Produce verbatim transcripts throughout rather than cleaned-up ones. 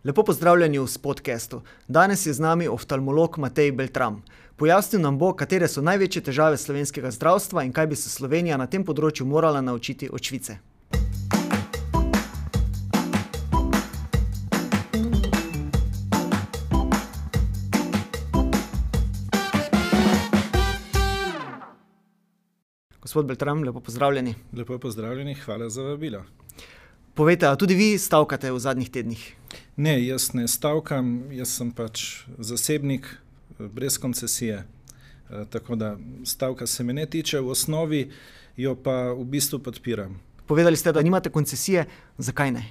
Lepo pozdravljeni v Spodcastu. Danes je z nami oftalmolog Matej Beltram. Pojasnil nam bo, katere so največje težave slovenskega zdravstva in kaj bi se Slovenija na tem področju morala naučiti od Švice. Gospod Beltram, lepo pozdravljeni. Lepo pozdravljeni, hvala za vabilo. Povejte, a tudi vi stavkate v zadnjih tednih? Ne, jaz ne stavkam, jaz sem pač zasebnik brez koncesije, tako da stavka se me ne tiče, v osnovi jo pa v bistvu podpiram. Povedali ste, da nimate koncesije, zakaj ne?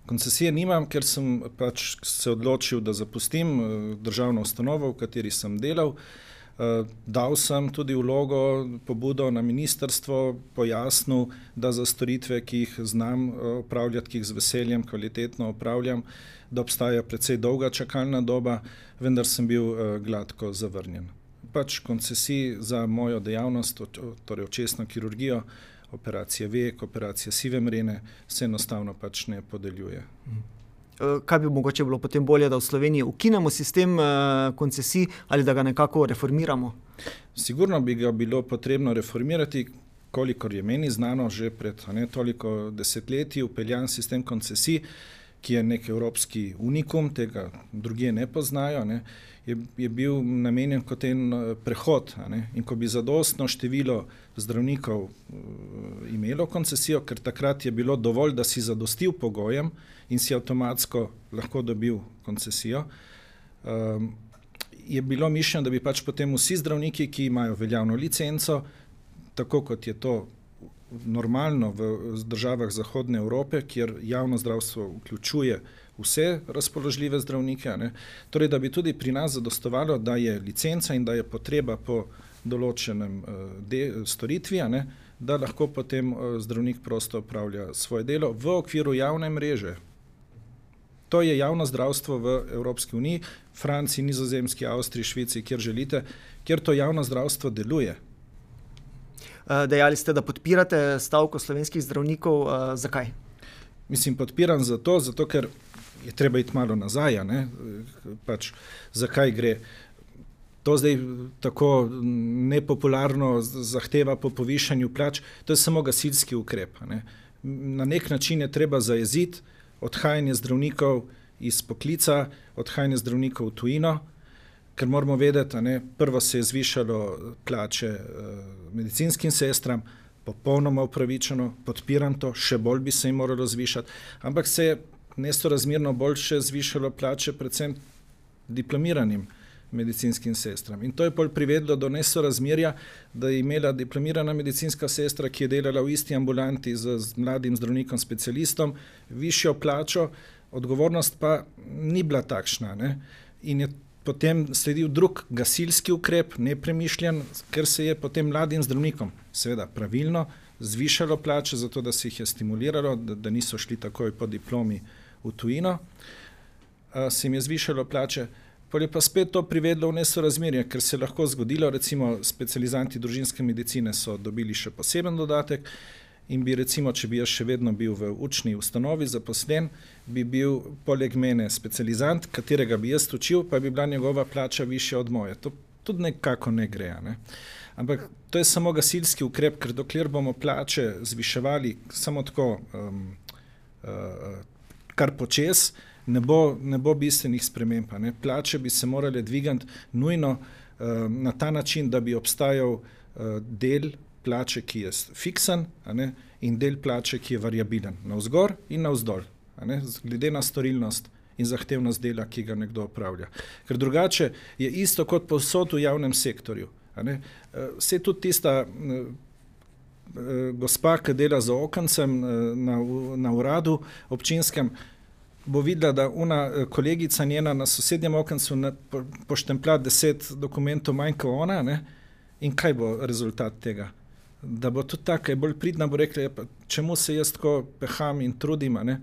Koncesije nimam, ker sem pač se odločil, da zapustim državno ustanovo, v kateri sem delal. Uh, dal sem tudi vlogo, pobudo na ministrstvo, pojasnil, da za storitve, ki jih znam opravljati, ki jih z veseljem kvalitetno opravljam, da obstaja precej dolga čakalna doba, vendar sem bil uh, gladko zavrnjen. Pač koncesij za mojo dejavnost, torej očesno kirurgijo, operacije vek, operacije sive mrene, se enostavno pač ne podeljuje. Mm. Kaj bi mogoče bilo potem bolje, da v Sloveniji ukinemo sistem koncesij ali da ga nekako reformiramo? Sigurno bi ga bilo potrebno reformirati, kolikor je meni znano, že pred ne toliko desetletji vpeljan sistem koncesij, ki je nek evropski unikum, tega drugje ne poznajo, ne, je, je bil namenjen kot en prehod. Ne, in ko bi zadostno število zdravnikov uh, imelo koncesijo, ker takrat je bilo dovolj, da si zadostil pogojem in si avtomatsko lahko dobil koncesijo, um, je bilo mišljeno, da bi pač potem vsi zdravniki, ki imajo veljavno licenco, tako kot je to normalno v državah Zahodne Evrope, kjer javno zdravstvo vključuje vse razpoložljive zdravnike, ne? Torej, da bi tudi pri nas zadostovalo, da je licenca in da je potreba po določenem de, storitvi, ne? Da lahko potem zdravnik prosto opravlja svoje delo v okviru javne mreže. To je javno zdravstvo v Evropski uniji, Franciji, Nizozemski, Avstriji, Švici, kjer želite, kjer to javno zdravstvo deluje. Dejali ste, da podpirate stavko slovenskih zdravnikov. Zakaj? Mislim, podpiram zato, zato ker je treba iti malo nazaj, ne? Pač, zakaj gre. To zdaj tako nepopularno zahteva po povišanju plač, to je samo gasilski ukrep. Ne? Na nek način je treba zajeziti odhajanje zdravnikov iz poklica, odhajanje zdravnikov v tujino, ker moramo vedeti, ne, prvo se je zvišalo plače uh, medicinskim sestram, popolnoma upravičeno, podpiram to, še bolj bi se jim moralo zvišati, ampak se je nesorazmerno bolj še zvišalo plače predvsem diplomiranim medicinskim sestram. In to je pol privedlo do nesorazmerja, da je imela diplomirana medicinska sestra, ki je delala v isti ambulanti z, z mladim zdravnikom specialistom, višjo plačo, odgovornost pa ni bila takšna. Ne? In je potem sledil drug gasilski ukrep, nepremišljen, ker se je potem mladim zdravnikom, seveda pravilno, zvišalo plače, zato da se jih je stimuliralo, da, da niso šli takoj po diplomi v tujino, a, se jim je zvišalo plače. Pol je pa spet to privedlo v nesorazmerje, ker se lahko zgodilo, recimo specializanti družinske medicine so dobili še poseben dodatek in bi recimo, če bi jaz še vedno bil v učni ustanovi zaposlen, bi bil poleg mene specializant, katerega bi jaz učil, pa bi bila njegova plača višja od moje. To tudi nekako ne gre. Ne? Ampak to je samo gasilski ukrep, ker dokler bomo plače zviševali samo tako, um, uh, kar počes, ne bo, ne bo bistvenih sprememb. Ne? Plače bi se morale dvigati nujno uh, na ta način, da bi obstajal uh, del plače, ki je fiksen, a ne, in del plače, ki je variabilen, navzgor in navzdol, a ne, glede na storilnost in zahtevnost dela, ki ga nekdo opravlja. Ker drugače je isto kot povsod v javnem sektorju. A ne. Vse tudi tista uh, gospa, ki dela za okencem na, na uradu občinskem, bo videla, da una kolegica njena na sosednjem okencu po, poštemplja deset dokumentov manj kot ona, ne, in kaj bo rezultat tega? Da bo tudi taka, je bolj pridna, bo rekla, pa, čemu se jaz tako peham in trudim, ne?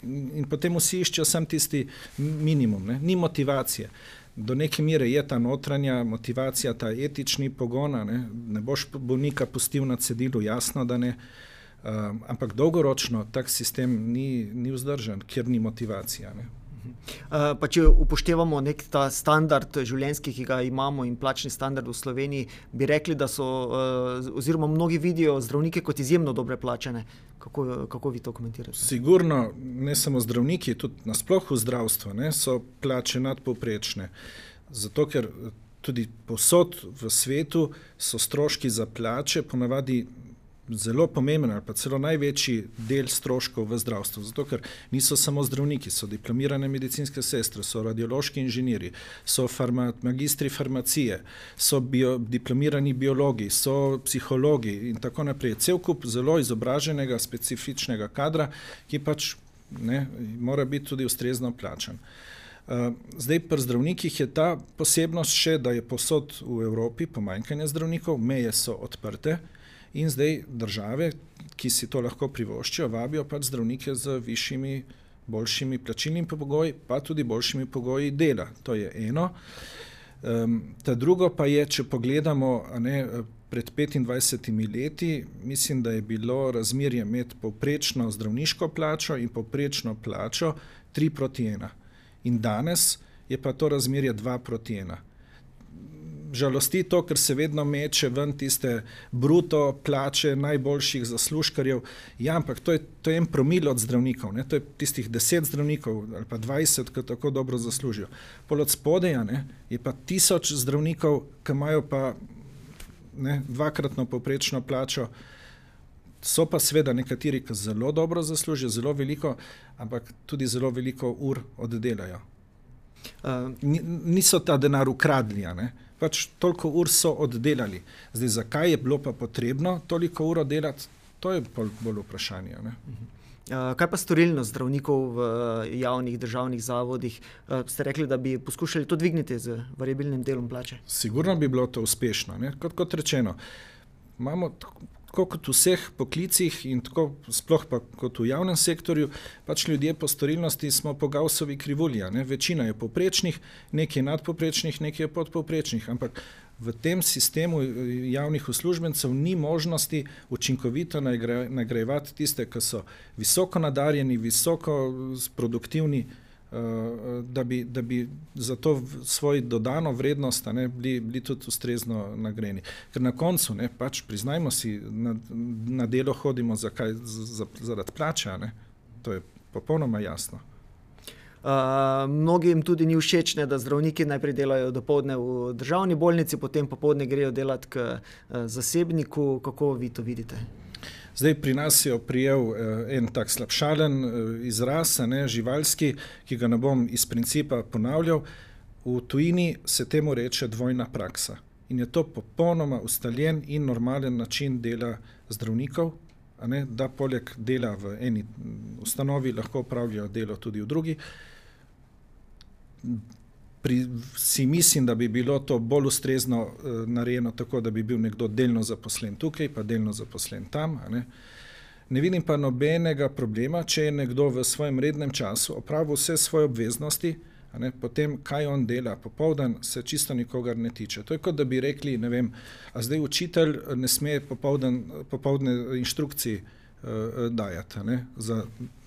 In, in potem vsi iščejo sam tisti minimum, ne? Ni motivacije. Do neke mere je ta notranja motivacija, ta etični pogon, ne, ne boš bolnika pustil na cedilu, jasno, da ne, uh, ampak dolgoročno tak sistem ni, ni vzdržen, ker ni motivacija. Ne. Pa če upoštevamo nek ta standard življenjski, ki ga imamo in plačni standard v Sloveniji, bi rekli, da so oziroma mnogi vidijo zdravnike kot izjemno dobre plačane. Kako, kako vi to komentirate? Sigurno, ne samo zdravniki, tudi nasploh v zdravstvu, ne, so plače nadpovprečne. Zato, ker tudi povsod v svetu so stroški za plače ponavadi zelo pomemben ali pa celo največji del stroškov v zdravstvu, zato ker niso samo zdravniki, so diplomirane medicinske sestre, so radiološki inženirji, so farma, magistri farmacije, so bio, diplomirani biologi, so psihologi in tako naprej. Cel kup zelo izobraženega, specifičnega kadra, ki pač ne, mora biti tudi ustrezno plačan. Uh, zdaj pri zdravnikih je ta posebnost še, da je povsod v Evropi pomanjkanje zdravnikov, meje so odprte, in zdaj države, ki si to lahko privoščijo, vabijo pač zdravnike z višjimi, boljšimi plačilnimi pogoji, pa tudi boljšimi pogoji dela. To je eno. Um, ta drugo pa je, če pogledamo, a ne, pred petindvajsetimi leti, mislim, da je bilo razmerje med povprečno zdravniško plačo in povprečno plačo tri proti ena. In danes je pa to razmerje dva proti ena. Žalosti to, ker se vedno meče ven tiste bruto plače najboljših zaslužkarjev. Ja, ampak to je, to je en promil od zdravnikov, ne? To je tistih deset zdravnikov ali pa dvajset, ki tako dobro zaslužijo. Pol od spodeja, ne, je pa tisoč zdravnikov, ki imajo pa ne, dvakratno povprečno plačo. So pa seveda nekateri, ki zelo dobro zaslužijo, zelo veliko, ampak tudi zelo veliko ur oddelajo. Uh, Niso ta denar ukradli, ne? Pač toliko ur so oddelali. Zdaj, zakaj je bilo pa potrebno toliko ur oddelati, to je bolj, bolj vprašanje. Ne? Uh, kaj pa storilnost zdravnikov v javnih državnih zavodih? Uh, ste rekli, da bi poskušali to dvigniti z variabilnim delom plače? Sigurno bi bilo to uspešno. Ne? Kot, kot rečeno, imamo tako kot v vseh poklicih in tako sploh pa kot v javnem sektorju, pač ljudje po storilnosti smo po Gaussovi krivulji, ne? Večina je povprečnih, nekaj je nadpovprečnih, nekaj je podpovprečnih, ampak v tem sistemu javnih uslužbencev ni možnosti učinkovito nagrajevati tiste, ki so visoko nadarjeni, visoko produktivni, da bi, da bi za to svoj dodano vrednost ne, bili, bili tudi ustrezno nagrajeni. Ker na koncu, ne, pač priznajmo si, na, na delo hodimo zakaj, za, zaradi plača, ne. To je popolnoma jasno. Uh, mnogim tudi ni všeč, ne, da zdravniki najprej delajo dopoldne v državni bolnici, potem popoldne grejo delati k uh, zasebniku. Kako vi to vidite? Zdaj pri nas je oprijel eh, en tak slabšalen eh, izraz, ne, živalski, ki ga ne bom iz principa ponavljal. V tujini se temu reče dvojna praksa. In je to popolnoma ustaljen in normalen način dela zdravnikov, a ne, da poleg dela v eni ustanovi lahko opravljajo delo tudi v drugi. Pri, si mislim, da bi bilo to bolj ustrezno uh, narejeno tako, da bi bil nekdo delno zaposlen tukaj, pa delno zaposlen tam. A ne? Ne vidim pa nobenega problema, če je nekdo v svojem rednem času opravil vse svoje obveznosti, a ne? Potem kaj on dela popoldan, se čisto nikogar ne tiče. To je kot da bi rekli, ne vem, a zdaj učitelj ne sme popoldan, popoldne inštrukciji uh, dajati, a ne? Za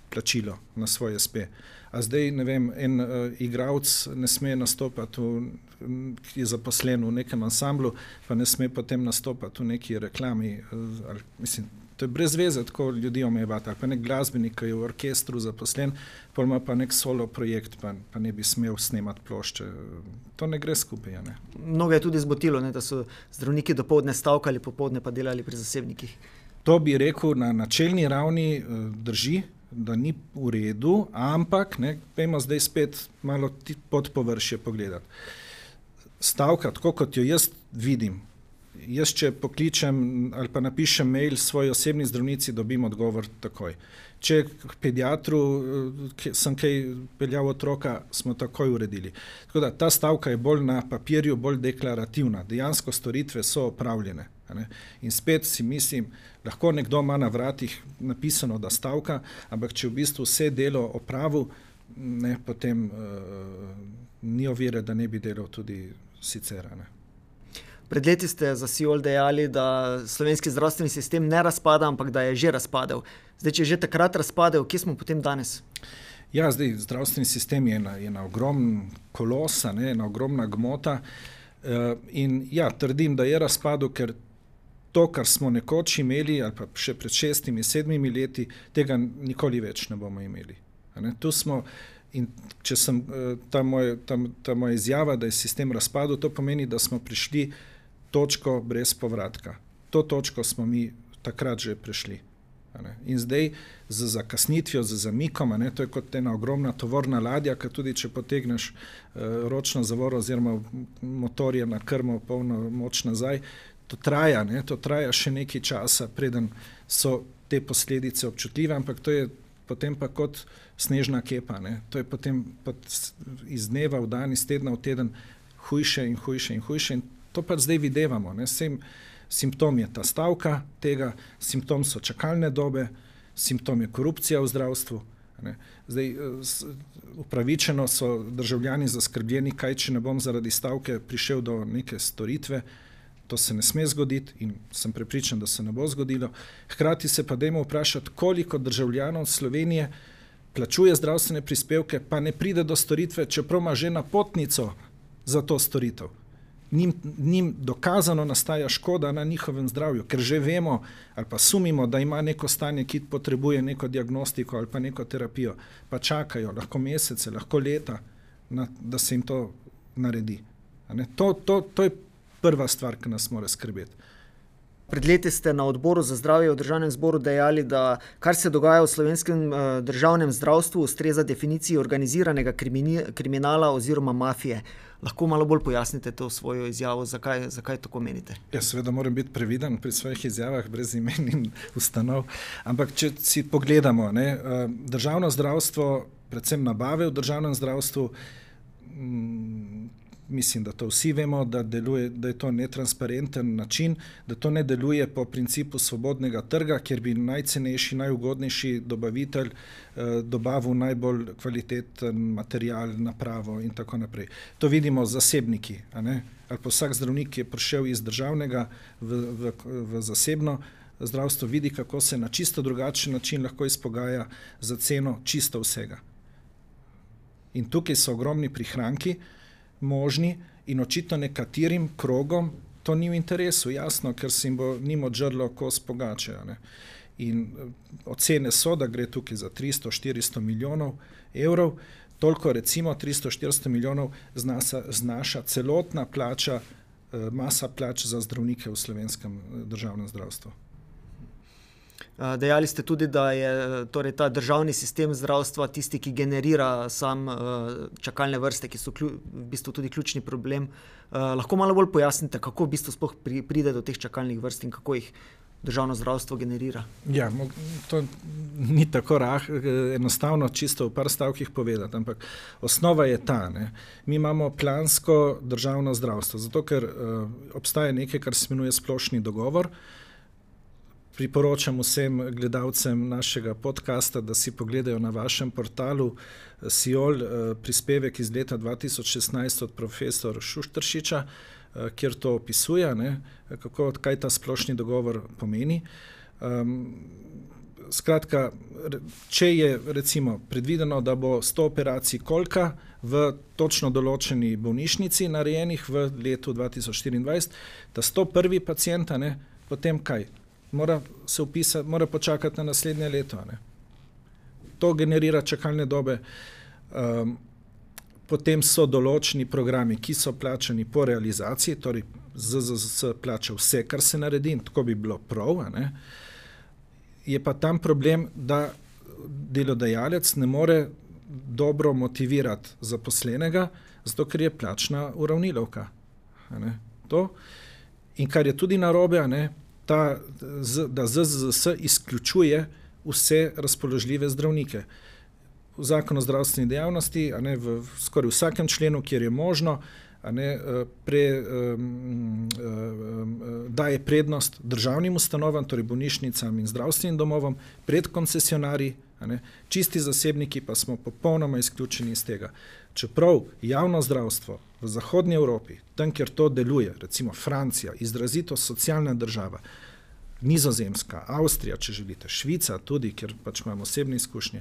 plačilo na svoj es pe. A zdaj, ne vem, en uh, igralec ne sme nastopati, v, ki je zaposlen v nekem ansamblu, pa ne sme potem nastopati v neki reklami. Uh, ali, mislim, to je brez veze, tako ljudi omejevati. Ali pa nek glasbenik, ki je v orkestru zaposlen, pa ima pa nek solo projekt, pa, pa ne bi smel snemati plošče. To ne gre skupaj, ne. Mnogo je tudi zbotilo, ne, da so zdravniki dopoldne stavkali, popoldne pa delali pri zasebnikih. To bi rekel na načelni ravni uh, drži, da ni v redu, ampak, ne, pejmo zdaj spet malo pod površje pogledati. Stavka, tako kot jo jaz vidim, jaz če pokličem ali pa napišem mail svoji osebni zdravnici, dobim odgovor takoj. Če k pediatru sem kaj peljal otroka, smo takoj uredili. Tako da ta stavka je bolj na papirju, bolj deklarativna. Dejansko storitve so opravljene. Ne? In spet si mislim, lahko nekdo ima na vratih napisano, da stavka, ampak če v bistvu vse delo opravil, ne, potem uh, ni ovire, da ne bi delal tudi sicer. Ne? Pred leti ste za Siol dejali, da slovenski zdravstveni sistem ne razpada, ampak da je že razpadel. Zdaj, če je že takrat razpadel, kje smo potem danes? Ja, zdaj zdravstveni sistem je ena, ena ogromna kolosa, ne, ena ogromna gmota uh, in ja, trdim, da je razpadel, ker to, kar smo nekoč imeli, ali pa še pred šestimi, sedmimi leti, tega nikoli več ne bomo imeli. Ne? Tu smo, in če sem ta, moj, ta, ta moja izjava, da je sistem razpadel, to pomeni, da smo prišli točko brez povratka. To točko smo mi takrat že prišli. Ne? In zdaj z zakasnitvijo, z zamikom, ne? To je kot ena ogromna tovorna ladja, ki tudi če potegneš uh, ročno zavoro oziroma motor je na krmo polno moč nazaj, to traja, ne? To traja še nekaj časa, preden so te posledice občutljive, ampak to je potem pa kot snežna kepa. Ne? To je potem iz dneva v dan, iz tedna v teden hujše in hujše in hujše in to pa zdaj videvamo. Ne? Sem, simptom je ta stavka tega, simptom so čakalne dobe, simptom je korupcija v zdravstvu. Ne? Zdaj, upravičeno so državljani zaskrbljeni, kaj če ne bom zaradi stavke prišel do neke storitve. To se ne sme zgoditi in sem prepričan, da se ne bo zgodilo. Hkrati se pa dajmo vprašati, koliko državljanov Slovenije plačuje zdravstvene prispevke, pa ne pride do storitve, čeprav ima že napotnico za to storitev. Njim, njim dokazano nastaja škoda na njihovem zdravju, ker že vemo ali pa sumimo, da ima neko stanje, ki potrebuje neko diagnostiko ali pa neko terapijo, pa čakajo lahko mesece, lahko leta, na, da se jim to naredi. A ne? To, to, to je prva stvar, ki nas mora skrbeti. Pred leti ste na odboru za zdravje v državnem zboru dejali, da kar se dogaja v slovenskem uh, državnem zdravstvu ustreza definiciji organiziranega krimini, kriminala oziroma mafije. Lahko malo bolj pojasnite to svojo izjavo, zakaj, zakaj tako menite? Ja, seveda moram biti previden pri svojih izjavah brez imen in ustanov, ampak če si pogledamo, ne, uh, državno zdravstvo, predvsem nabave v državnem zdravstvu, mm, mislim, da to vsi vemo, da, deluje, da je to netransparenten način, da to ne deluje po principu svobodnega trga, kjer bi najcenejši, najugodnejši dobavitelj eh, dobavil najbolj kvaliteten material, napravo in tako naprej. To vidimo zasebniki, a ne? Ali pa vsak zdravnik je prišel iz državnega v, v, v zasebno zdravstvo, vidi, kako se na čisto drugačen način lahko izpogaja za ceno čisto vsega. In tukaj so ogromni prihranki, možni in očitno nekaterim krogom to ni v interesu, jasno, ker se jim bo njim odžrlo kos pogače. Ne? In ocene so, da gre tukaj za tristo štiristo milijonov evrov, toliko recimo tristo štiristo milijonov znaša, znaša celotna plača, masa plač za zdravnike v slovenskem državnem zdravstvu. Dejali ste tudi, da je torej, ta državni sistem zdravstva tisti, ki generira sam čakalne vrste, ki so klju, v bistvu tudi ključni problem. Lahko malo bolj pojasnite, kako v bistvu sploh pride do teh čakalnih vrst in kako jih državno zdravstvo generira? Ja, to ni tako rah, enostavno čisto v par stavkih povedati, ampak osnova je ta. Ne? Mi imamo plansko državno zdravstvo, zato ker uh, obstaja nekaj, kar se imenuje splošni dogovor. Priporočam vsem gledalcem našega podcasta, da si pogledajo na vašem portalu Siol prispevek iz leta dva tisoč šestnajst od profesor Šušteršiča, kjer to opisuje, ne, kako, kaj ta splošni dogovor pomeni. Um, skratka, če je recimo predvideno, da bo sto operacij kolka v točno določeni bolnišnici narejenih v letu dva tisoč štiriindvajset, da sto prvi pacienta, ne, potem kaj? Mora se upisati, mora počakati na naslednje leto. Ne? To generira čakalne dobe. Um, potem so določeni programi, ki so plačani po realizaciji, torej Z Z Z plača vse, kar se naredi, in tako bi bilo prav. Ne? Je pa tam problem, da delodajalec ne more dobro motivirati zaposlenega, zato ker je plačna uravnilovka. Ne? To. In kar je tudi narobe, ne? Ta, da Z Z Z izključuje vse razpoložljive zdravnike. V zakonu o zdravstveni dejavnosti, a ne, v skoraj vsakem členu, kjer je možno, a ne, pre, um, um, daje prednost državnim ustanovam, torej bolnišnicam in zdravstvenim domovom, pred koncesionarji, a ne, čisti zasebniki pa smo popolnoma izključeni iz tega. Čeprav javno zdravstvo v zahodnji Evropi, tam, kjer to deluje, recimo Francija, izrazito socialna država, Nizozemska, Avstrija, če želite, Švica tudi, kjer pač imamo osebne izkušnje,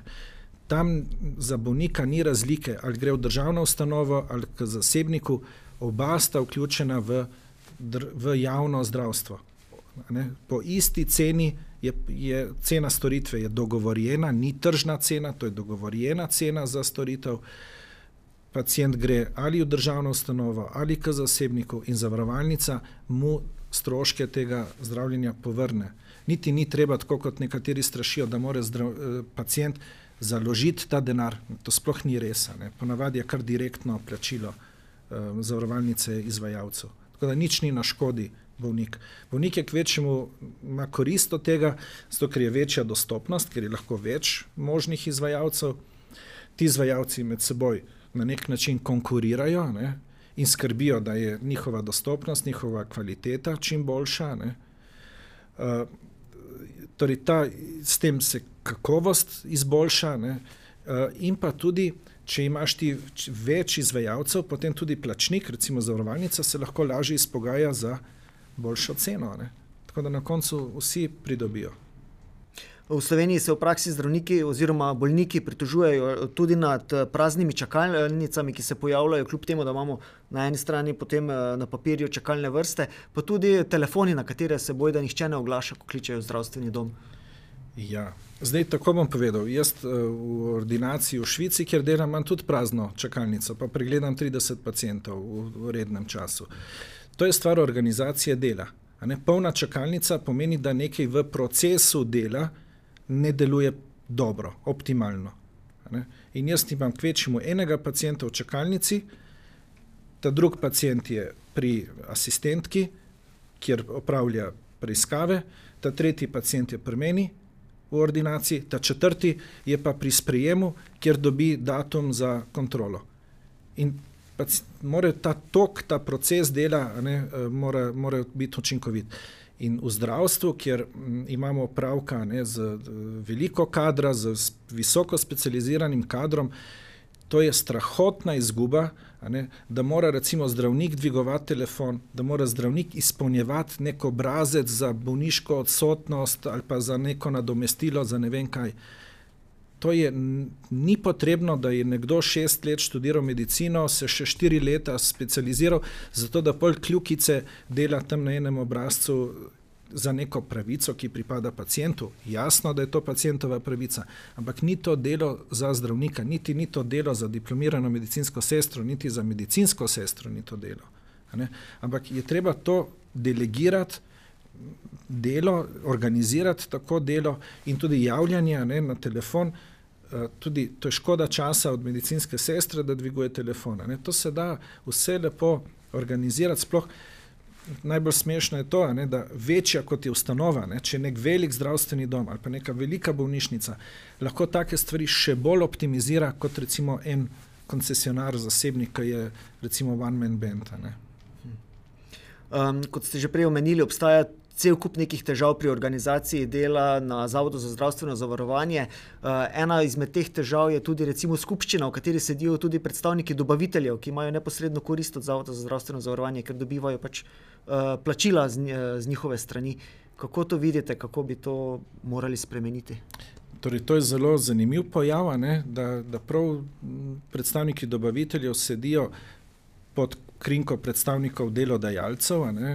tam za bolnika ni razlike, ali gre v državno ustanovo ali k zasebniku, oba sta vključena v, v javno zdravstvo. Ne? Po isti ceni je, je cena storitve je dogovorjena, ni tržna cena, to je dogovorjena cena za storitev. Pacient gre ali v državno ustanovo ali k zasebniku in zavarovalnica mu stroške tega zdravljenja povrne. Niti ni treba, tako kot nekateri strašijo, da mora zdrav, pacient založiti ta denar. To sploh ni res. Ne? Ponavadi je kar direktno plačilo eh, zavarovalnice izvajalcev. Tako da nič ni na škodi bolnik. Bolnik je kvečemu ima korist od tega, zato ker je večja dostopnost, ker je lahko več možnih izvajalcev. Ti izvajalci med seboj na nek način konkurirajo, ne, in skrbijo, da je njihova dostopnost, njihova kvaliteta čim boljša. Ne. Uh, torej ta, s tem se kakovost izboljša, ne, uh, in pa tudi, če imaš ti več izvajalcev, potem tudi plačnik, recimo zavarovalnica, se lahko lažje izpogaja za boljšo ceno. Ne. Tako da na koncu vsi pridobijo. V Sloveniji se v praksi zdravniki oziroma bolniki pritožujejo tudi nad praznimi čakalnicami, ki se pojavljajo, kljub temu, da imamo na eni strani potem na papirju čakalne vrste, pa tudi telefoni, na katere se boji, da nihče ne oglaša, ko kličejo v zdravstveni dom. Ja, zdaj tako bom povedal. Jaz v ordinaciji v Švici, kjer delam, imam tudi prazno čakalnico, pa pregledam trideset pacientov v rednem času. To je stvar organizacije dela. A ne? Polna čakalnica pomeni, da nekaj v procesu dela ne deluje dobro, optimalno. Ne? In jaz imam kvečemu enega pacienta v čakalnici, ta drug pacient je pri asistentki, kjer opravlja preiskave, ta tretji pacient je pri meni v ordinaciji, ta četrti je pa pri sprejemu, kjer dobi datum za kontrolo. In mora ta tok, ta proces dela, ne, mora, mora biti učinkovit. In v zdravstvu, kjer imamo opravka ne, z veliko kadra, z visoko specializiranim kadrom, to je strahotna izguba, a ne, da mora recimo zdravnik dvigovati telefon, da mora zdravnik izpolnjevati nek obrazec za bolniško odsotnost ali pa za neko nadomestilo, za ne vem kaj. To je, ni potrebno, da je nekdo šest let študiral medicino, se še štiri leta specializiral, zato da pol kljukice dela tam na enem obrazcu za neko pravico, ki pripada pacientu. Jasno, da je to pacientova pravica, ampak ni to delo za zdravnika, niti ni to delo za diplomirano medicinsko sestro, niti za medicinsko sestro ni to delo. A ne? Ampak je treba to delegirati, delo, organizirati tako delo in tudi javljanje ne, na telefon. Tudi to je škoda časa od medicinske sestre, da dviguje telefona. Ne. To se da vse lepo organizirati, sploh najbolj smešno je to, ne, da večja kot je ustanova, ne, če je nek velik zdravstveni dom ali pa neka velika bolnišnica, lahko take stvari še bolj optimizira kot recimo en koncesionar zasebnik, ki je recimo one man band. Ne. Um, kot ste že prej omenili, obstaja cel kup nekih težav pri organizaciji dela na Zavodu za zdravstveno zavarovanje. Uh, ena izmed teh težav je tudi recimo skupščina, v kateri sedijo tudi predstavniki dobaviteljev, ki imajo neposredno korist od Zavoda za zdravstveno zavarovanje, ker dobivajo pač uh, plačila z, z njihove strani. Kako to vidite, kako bi to morali spremeniti? Torej, to je zelo zanimiv pojav, ne, da, da prav predstavniki dobaviteljev sedijo pod krinko predstavnikov delodajalcev, a ne,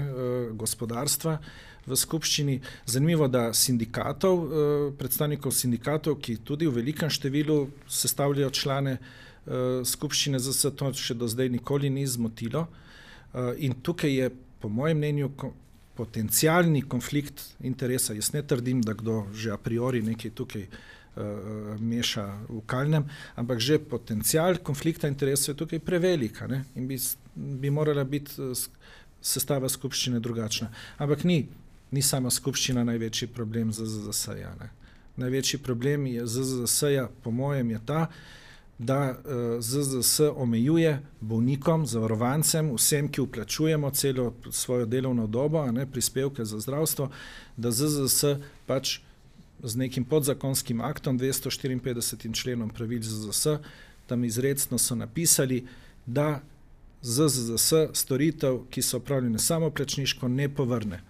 gospodarstva v skupščini. Zanimivo, da sindikatov, predstavnikov sindikatov, ki tudi v velikem številu sestavljajo člane skupščine Z S, to še do zdaj nikoli ni zmotilo. In tukaj je, po mojem mnenju, potencialni konflikt interesa. Jaz ne trdim, da kdo že a priori nekaj tukaj meša v kalnem, ampak že potencial konflikta interesov je tukaj prevelika, ne? In bi, bi morala biti sestava skupščine drugačna. Ampak ni, ni sama skupščina največji problem Z Z S-ja. Največji problem je Z Z S-ja, po mojem, je ta, da Z Z S omejuje bolnikom, zavarovancem, vsem, ki vplačujemo celo svojo delovno dobo, a ne, prispevke za zdravstvo, da Z Z S pač z nekim podzakonskim aktom, dvesto štiriinpetdesetim členom pravil Z Z S, tam izrecno so napisali, da Z Z S storitev, ki so opravljene samoplačniško, ne povrne.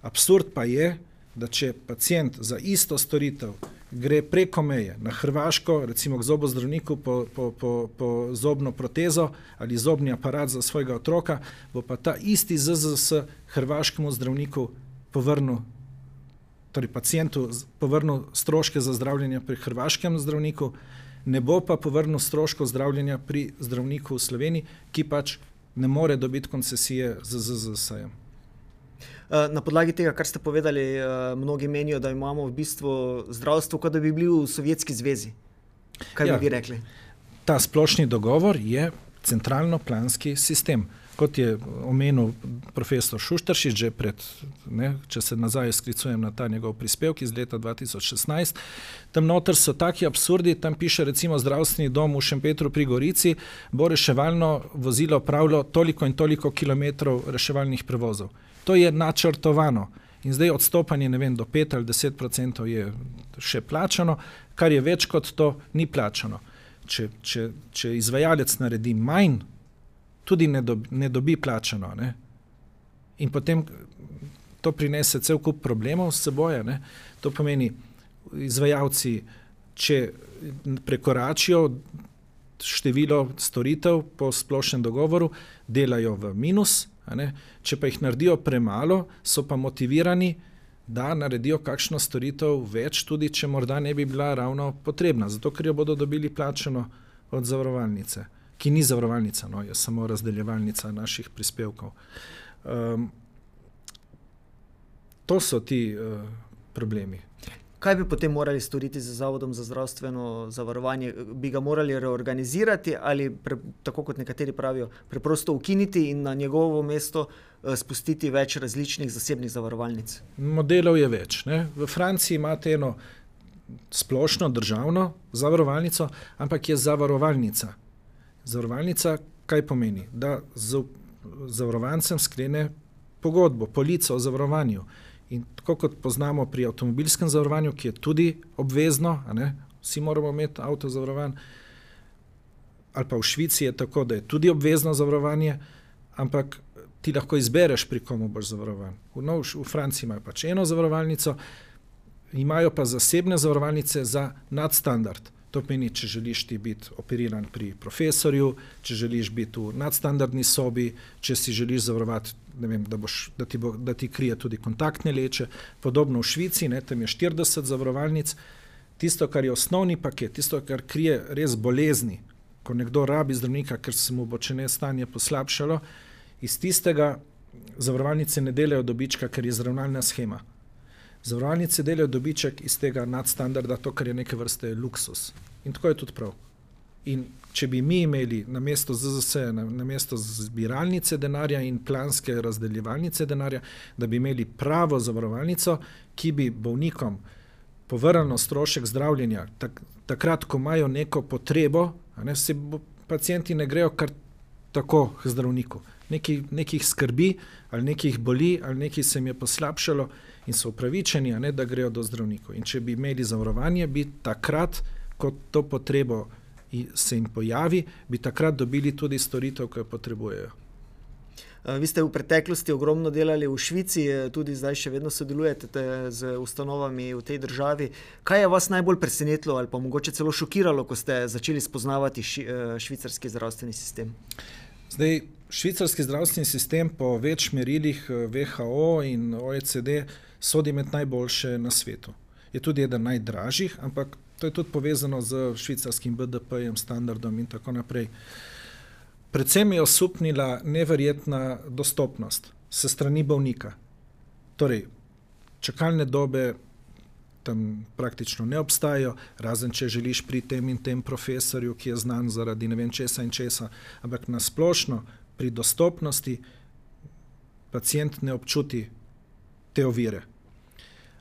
Absurd pa je, da če pacient za isto storitev, gre preko meje na Hrvaško, recimo k zobozdravniku po, po, po, po zobno protezo ali zobni aparat za svojega otroka, bo pa ta isti Z Z S hrvaškemu zdravniku povrnil, torej pacientu povrnil stroške za zdravljenje pri hrvaškem zdravniku, ne bo pa povrnil stroškov zdravljenja pri zdravniku v Sloveniji, ki pač ne more dobiti koncesije z Z Z S-jem. Na podlagi tega, kar ste povedali, mnogi menijo, da imamo v bistvu zdravstvo, kot da bi bili v Sovjetski zvezi. Kaj ja, bi vi rekli? Ta splošni dogovor je centralno-planski sistem. Kot je omenil profesor Šuštaršič, že pred, ne, če se nazaj sklicujem na ta njegov prispevek iz leta dva tisoč šestnajst, tam noter so taki absurdi, tam piše recimo zdravstveni dom v Šempetru pri Gorici, bo reševalno vozilo pravilo toliko in toliko kilometrov reševalnih prevozov. To je načrtovano in zdaj odstopanje, ne vem, do pet ali deset procentov je še plačano, kar je več kot to ni plačano. Če, če, če izvajalec naredi manj, tudi ne dobi, ne dobi plačano. Ne? In potem to prinese cel kup problemov s seboj. Ne? To pomeni, izvajalci, če prekoračijo število storitev po splošnem dogovoru, delajo v minus, a ne? Če pa jih naredijo premalo, so pa motivirani, da naredijo kakšno storitev več, tudi če morda ne bi bila ravno potrebna, zato ker jo bodo dobili plačano od zavarovalnice, ki ni zavarovalnica, no, je samo razdeljevalnica naših prispevkov. Um, to so ti uh, problemi. Kaj bi potem morali storiti z Zavodom za zdravstveno zavarovanje? Bi ga morali reorganizirati ali, pre, tako kot nekateri pravijo, preprosto ukiniti in na njegovo mesto uh, spustiti več različnih zasebnih zavarovalnic? Modelov je več. Ne? V Franciji imate eno splošno državno zavarovalnico, ampak je zavarovalnica. Zavarovalnica kaj pomeni? Da z zavarovancem sklene pogodbo, polico o zavarovanju. In tako kot poznamo pri avtomobilskem zavarovanju, ki je tudi obvezno, a ne, vsi moramo imeti avto zavarovan, ali pa v Švici je tako, da je tudi obvezno zavarovanje, ampak ti lahko izbereš, pri komu boš zavarovan. V, no, v Franciji imajo pač eno zavarovalnico, imajo pa zasebne zavarovalnice za nadstandard. To pomeni, če želiš ti biti operiran pri profesorju, če želiš biti v nadstandardni sobi, če si želiš zavarovati, ne vem, da, boš, da, ti bo, da ti krije tudi kontaktne leče. Podobno v Švici, ne, tam je štirideset zavarovalnic. Tisto, kar je osnovni paket, tisto, kar krije res bolezni, ko nekdo rabi zdravnika, ker se mu bo če ne stanje poslabšalo, iz tistega zavarovalnice ne delajo dobička, ker je zravnalna shema. Zavarovalnice delajo dobiček iz tega nadstandarda, to, kar je neke vrste luksus. In tako je tudi prav. In če bi mi imeli na mesto Z Z S, na, na mesto zbiralnice denarja in planske razdeljevalnice denarja, da bi imeli pravo zavarovalnico, ki bi bolnikom povrnilo strošek zdravljenja, tak, takrat, ko imajo neko potrebo, a ne, se bo, pacienti ne grejo kar tako k zdravniku. Neki, nekih skrbi, ali nekih boli, ali nekih se jim je poslabšalo in so upravičeni, a ne, da grejo do zdravnikov. In če bi imeli zavarovanje, bi takrat, ko to potrebo se jim pojavi, bi takrat dobili tudi storitev, ki jo potrebujejo. Vi ste v preteklosti ogromno delali v Švici, tudi zdaj še vedno sodelujete z ustanovami v tej državi. Kaj je vas najbolj presenetilo ali pa mogoče celo šokiralo, ko ste začeli spoznavati ši, švicarski zdravstveni sistem? Zdaj, švicarski zdravstveni sistem po več merilih V H O in O E C D sodi med najboljše na svetu. Je tudi eden najdražjih, ampak to je tudi povezano z švicarskim B D P-jem, standardom in tako naprej. Predvsem je osupnila neverjetna dostopnost se strani bolnika. Torej, čakalne dobe tam praktično ne obstajajo, razen če želiš pri tem in tem profesorju, ki je znan zaradi ne vem česa in česa, ampak na splošno pri dostopnosti pacient ne občuti te ovire.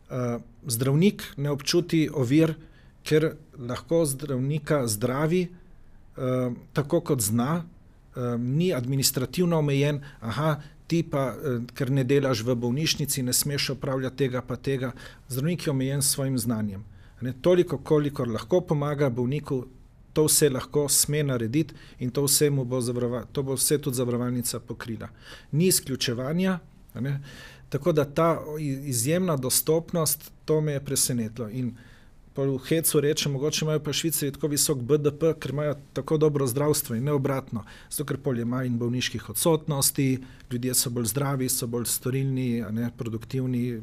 Uh, zdravnik ne občuti ovir, ker lahko zdravnika zdravi uh, tako kot zna, uh, ni administrativno omejen, aha, ti pa, uh, ker ne delaš v bolnišnici, ne smeš opravljati tega pa tega. Zdravnik je omejen s svojim znanjem. Ne, toliko, kolikor lahko pomaga bolniku, to vse lahko sme narediti in to vse, mu bo, zavarova, to bo vse tudi zavarovalnica pokrila. Ni izključevanja, ne, tako da ta izjemna dostopnost, to me je presenetilo. In pa v hecu reče, mogoče imajo pa Švicarji tako visok B D P, ker imajo tako dobro zdravstvo in ne obratno. Zato, ker pol je manj bolniških odsotnosti, ljudje so bolj zdravi, so bolj storilni, a ne produktivni.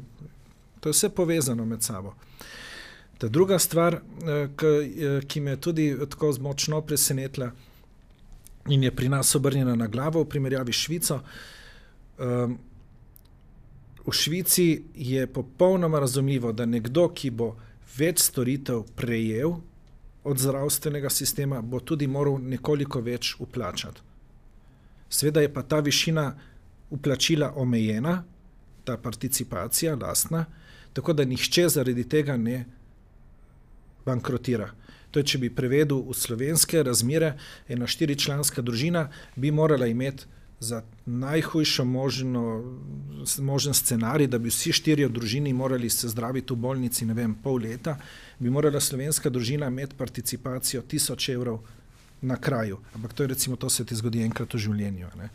To je vse povezano med sabo. Ta druga stvar, ki me je tudi tako močno presenetila in je pri nas obrnjena na glavo v primerjavi s Švico, v Švici je popolnoma razumljivo, da nekdo, ki bo več storitev prejel od zdravstvenega sistema, bo tudi moral nekoliko več vplačati. Seveda je pa ta višina vplačila omejena, ta participacija lastna, tako da nihče zaradi tega ne bankrotira. To je, če bi prevedel v slovenske razmere, ena štiričlanska družina bi morala imeti za najhujšo možno, možen scenarij, da bi vsi štirje v družini morali se zdraviti v bolnici, ne vem, pol leta, bi morala slovenska družina imeti participacijo tisoč evrov na kraju. Ampak to je recimo, to se ti zgodi enkrat v življenju. Ne?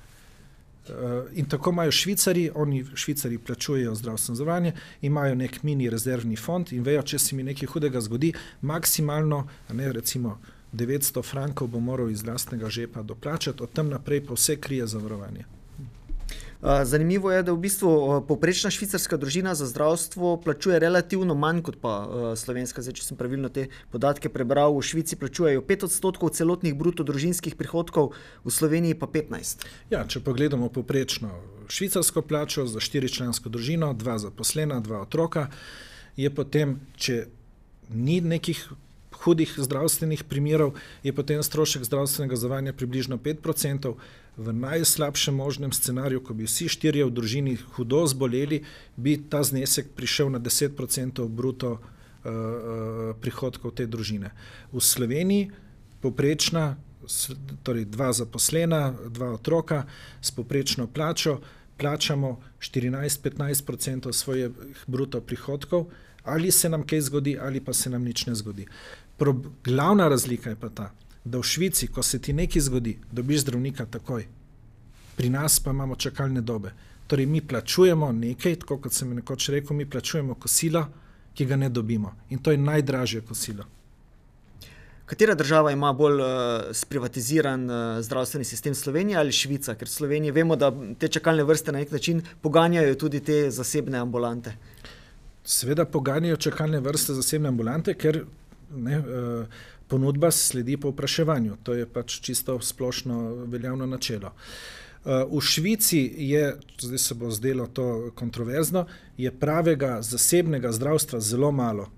In tako imajo Švicarji, oni Švicarji plačujejo zdravstveno zavarovanje, imajo nek mini rezervni fond in vejo, če se mi nekaj hudega zgodi, maksimalno, ne, recimo devetsto frankov bo moral iz lastnega žepa doplačati, od tam naprej pa vse krije zavarovanje. Zanimivo je, da v bistvu povprečna švicarska družina za zdravstvo plačuje relativno manj kot pa slovenska. Zdaj, če sem pravilno te podatke prebral, v Švici plačujejo pet odstotkov celotnih bruto družinskih prihodkov, v Sloveniji pa petnajst. Ja, če pogledamo povprečno švicarsko plačo za štiričlansko družino, dva zaposlena, dva otroka, je potem, če ni nekih hudih zdravstvenih primerov, je potem strošek zdravstvenega zavarovanja približno pet procentov. V najslabšem možnem scenariju, ko bi vsi štirje v družini hudo zboleli, bi ta znesek prišel na deset procentov bruto uh, prihodkov te družine. V Sloveniji povprečna, torej dva zaposlena, dva otroka s povprečno plačo, plačamo štirinajst do petnajst procentov svojih bruto prihodkov, ali se nam kaj zgodi, ali pa se nam nič ne zgodi. Pro, glavna razlika je pa ta, da v Švici, ko se ti nekaj zgodi, dobiš zdravnika takoj. Pri nas pa imamo čakalne dobe. Torej, mi plačujemo nekaj, tako kot sem nekoč rekel, mi plačujemo kosilo, ki ga ne dobimo. In to je najdražje kosilo. Katera država ima bolj uh, sprivatiziran uh, zdravstveni sistem, Slovenija ali Švica? Ker v Sloveniji vemo, da te čakalne vrste na nek način poganjajo tudi te zasebne ambulante. Seveda poganjajo čakalne vrste zasebne ambulante, ker ne, uh, ponudba sledi povpraševanju. To je pač čisto splošno veljavno načelo. Uh, v Švici je, zdaj se bo zdelo to kontroverzno, je pravega zasebnega zdravstva zelo malo.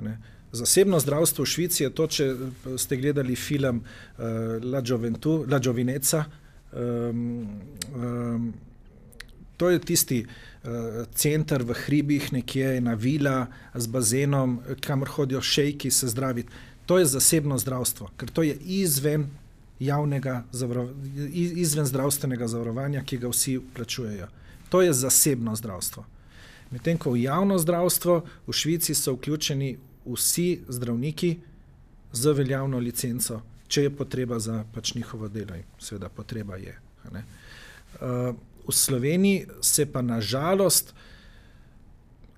Ne? Zasebno zdravstvo v Švici je to, če ste gledali film uh, La Gioventu, La Giovinezza, um, um, to je tisti uh, center v hribih, nekje na vila z bazenom, kamor hodijo šejki se zdraviti. To je zasebno zdravstvo, ker to je izven javnega, izven zdravstvenega zavarovanja, ki ga vsi plačujejo. To je zasebno zdravstvo. Medtem ko v javno zdravstvo v Švici so vključeni vsi zdravniki z veljavno licenco, če je potreba za pač njihovo delo. Seveda potreba je. Ne? Uh, v Sloveniji se pa na žalost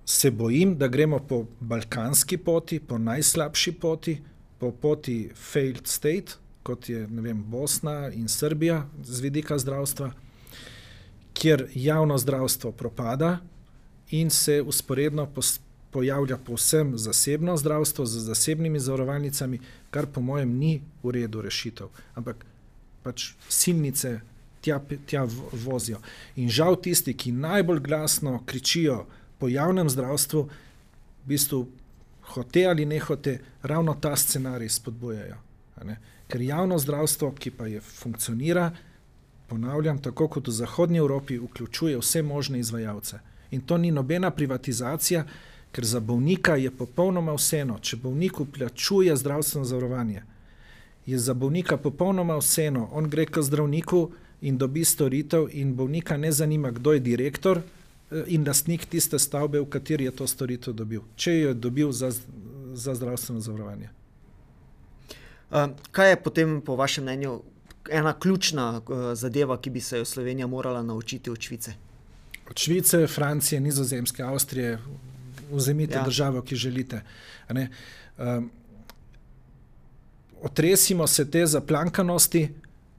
se bojim, da gremo po balkanski poti, po najslabši poti, po poti failed state, kot je, ne vem, Bosna in Srbija z vidika zdravstva, kjer javno zdravstvo propada in se usporedno pojavlja povsem zasebno zdravstvo z zasebnimi zavarovalnicami, kar po mojem ni v redu rešitev, ampak pač silnice tja, tja vozijo. In žal tisti, ki najbolj glasno kričijo po javnem zdravstvu, v bistvu hote ali ne hote, ravno ta scenarij spodbujajo. Ker javno zdravstvo, ki pa je funkcionira, ponavljam, tako kot v zahodnji Evropi, vključuje vse možne izvajalce. In to ni nobena privatizacija, ker za bolnika je popolnoma vseeno, če bolnik vplačuje zdravstveno zavarovanje, je za bolnika popolnoma vseeno, on gre k zdravniku in dobi storitev in bolnika ne zanima, kdo je direktor in lastnik tiste stavbe, v kateri je to storitev dobil, če jo je dobil za, za zdravstveno zavarovanje. Uh, kaj je potem po vašem mnenju ena ključna uh, zadeva, ki bi se jo Slovenija morala naučiti od Švice? Od Švice, Francije, Nizozemske, Avstrije, vzemite Ja. državo, ki želite. A ne? Um, otresimo se te zaplankanosti,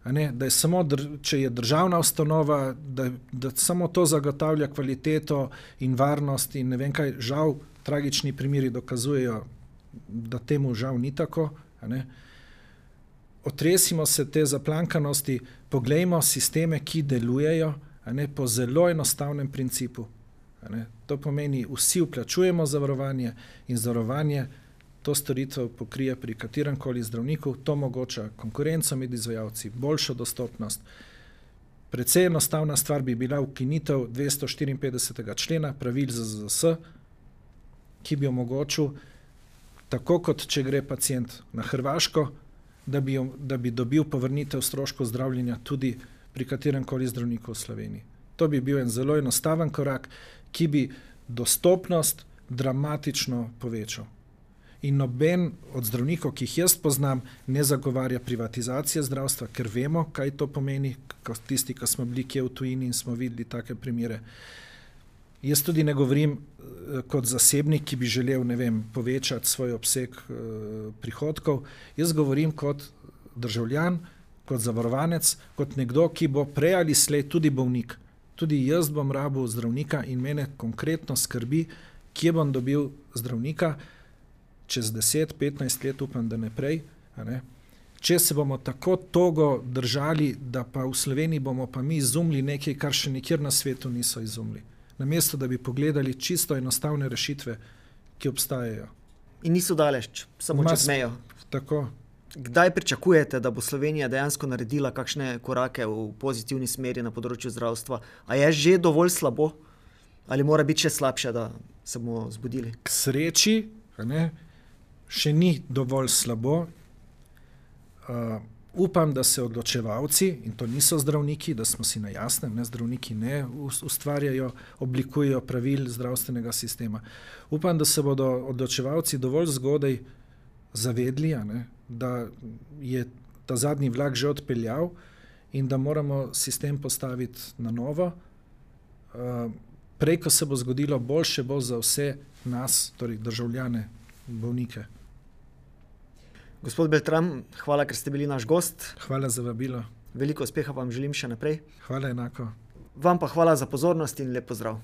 a ne, da je samo, dr- če je državna ustanova, da, da samo to zagotavlja kvaliteto in varnost in ne vem kaj, žal tragični primeri dokazujejo, da temu žal ni tako. A ne. Otresimo se te zaplankanosti, poglejmo sisteme, ki delujejo, a ne, po zelo enostavnem principu. A ne. To pomeni, vsi vplačujemo zavarovanje in zavarovanje to storitev pokrije pri katerem koli zdravniku, to omogoča konkurenco med izvajalci, boljšo dostopnost. Precej enostavna stvar bi bila ukinitev dvesto štiriinpetdesetega člena pravil Z Z Z S, ki bi omogočil, tako kot če gre pacient na Hrvaško, da bi, da bi dobil povrnitev stroškov zdravljenja tudi pri katerem koli zdravniku v Sloveniji. To bi bil en zelo enostaven korak, ki bi dostopnost dramatično povečal. In noben od zdravnikov, ki jih jaz poznam, ne zagovarja privatizacije zdravstva, ker vemo, kaj to pomeni, tisti, ki smo bili kje v tujini in smo videli take primere. Jaz tudi ne govorim eh, kot zasebnik, ki bi želel, ne vem, povečati svoj obseg eh, prihodkov. Jaz govorim kot državljan, kot zavarovanec, kot nekdo, ki bo prej ali slej tudi bolnik. Tudi jaz bom rabil zdravnika in mene konkretno skrbi, kje bom dobil zdravnika, čez deset, petnajst let, upam, da ne prej. A ne? Če se bomo tako togo držali, da pa v Sloveniji bomo pa mi izumili nekaj, kar še nikjer na svetu niso izumili. Namesto, da bi pogledali čisto enostavne rešitve, ki obstajajo. In niso daleč, samo Mas, čez mejo. Tako. Kdaj pričakujete, da bo Slovenija dejansko naredila kakšne korake v pozitivni smeri na področju zdravstva? A je že dovolj slabo? Ali mora biti še slabše, da se bomo zbudili? K sreči, a ne, še ni dovolj slabo. Uh, upam, da se odločevalci, in to niso zdravniki, da smo si na jasnem, ne, zdravniki ne ustvarjajo, oblikujejo pravil zdravstvenega sistema. Upam, da se bodo odločevalci dovolj zgodaj zavedli, a ne, da je ta zadnji vlak že odpeljal in da moramo sistem postaviti na novo. Uh, prej, ko se bo zgodilo, boljše bo za vse nas, torej državljane, bolnike. Gospod Beltran, hvala, ker ste bili naš gost. Hvala za vabilo. Veliko uspeha vam želim še naprej. Hvala enako. Vam pa hvala za pozornost in lep pozdrav.